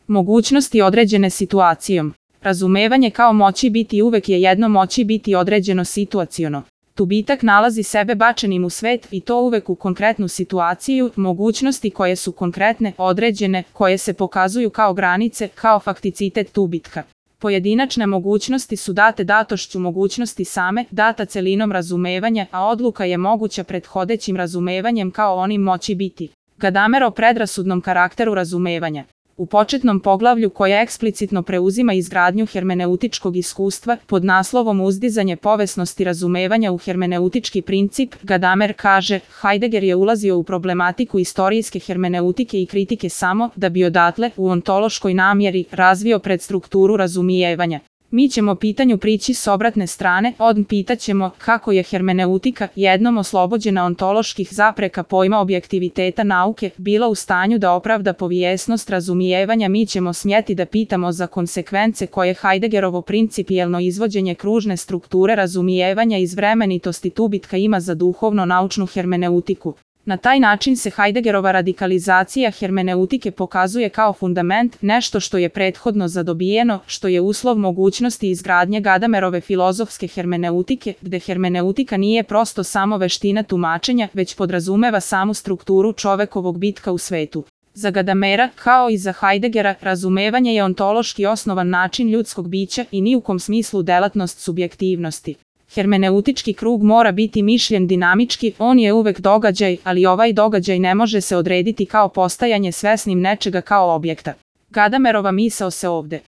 Mogućnosti određene situacijom. Razumevanje kao moći biti uvek je jedno moći biti određeno situaciono. Tubitak nalazi sebe bačenim u svet i to uvek u konkretnu situaciju, mogućnosti koje su konkretne, određene, koje se pokazuju kao granice, kao fakticitet tubitka. Pojedinačne mogućnosti su date datošću mogućnosti same, data celinom razumevanja, a odluka je moguća prethodećim razumevanjem kao onim moći biti. Gadamer o predrasudnom karakteru razumevanja. U početnom poglavlju koje eksplicitno preuzima izgradnju hermeneutičkog iskustva pod naslovom Uzdizanje povesnosti razumevanja u hermeneutički princip, Gadamer kaže, Heidegger je ulazio u problematiku istorijske hermeneutike i kritike samo da bi odatle, u ontološkoj namjeri, razvio predstrukturu razumijevanja. Mi ćemo pitanju prići s obratne strane, pitaćemo kako je hermeneutika, jednom oslobođena ontoloških zapreka pojma objektiviteta nauke, bila u stanju da opravda povijesnost razumijevanja. Mi ćemo smjeti da pitamo za konsekvence koje Heideggerovo principijelno izvođenje kružne strukture razumijevanja iz vremenitosti tubitka ima za duhovno-naučnu hermeneutiku. Na taj način se Heideggerova radikalizacija hermeneutike pokazuje kao fundament, nešto što je prethodno zadobijeno, što je uslov mogućnosti izgradnje Gadamerove filozofske hermeneutike, gde hermeneutika nije prosto samo veština tumačenja, već podrazumeva samu strukturu čovekovog bitka u svetu. Za Gadamera, kao i za Heideggera, razumevanje je ontološki osnovan način ljudskog bića i ni u kom smislu delatnost subjektivnosti. Hermeneutički krug mora biti mišljen dinamički, on je uvek događaj, ali ovaj događaj ne može se odrediti kao postajanje svesnim nečega kao objekta. Gadamerova misao se ovde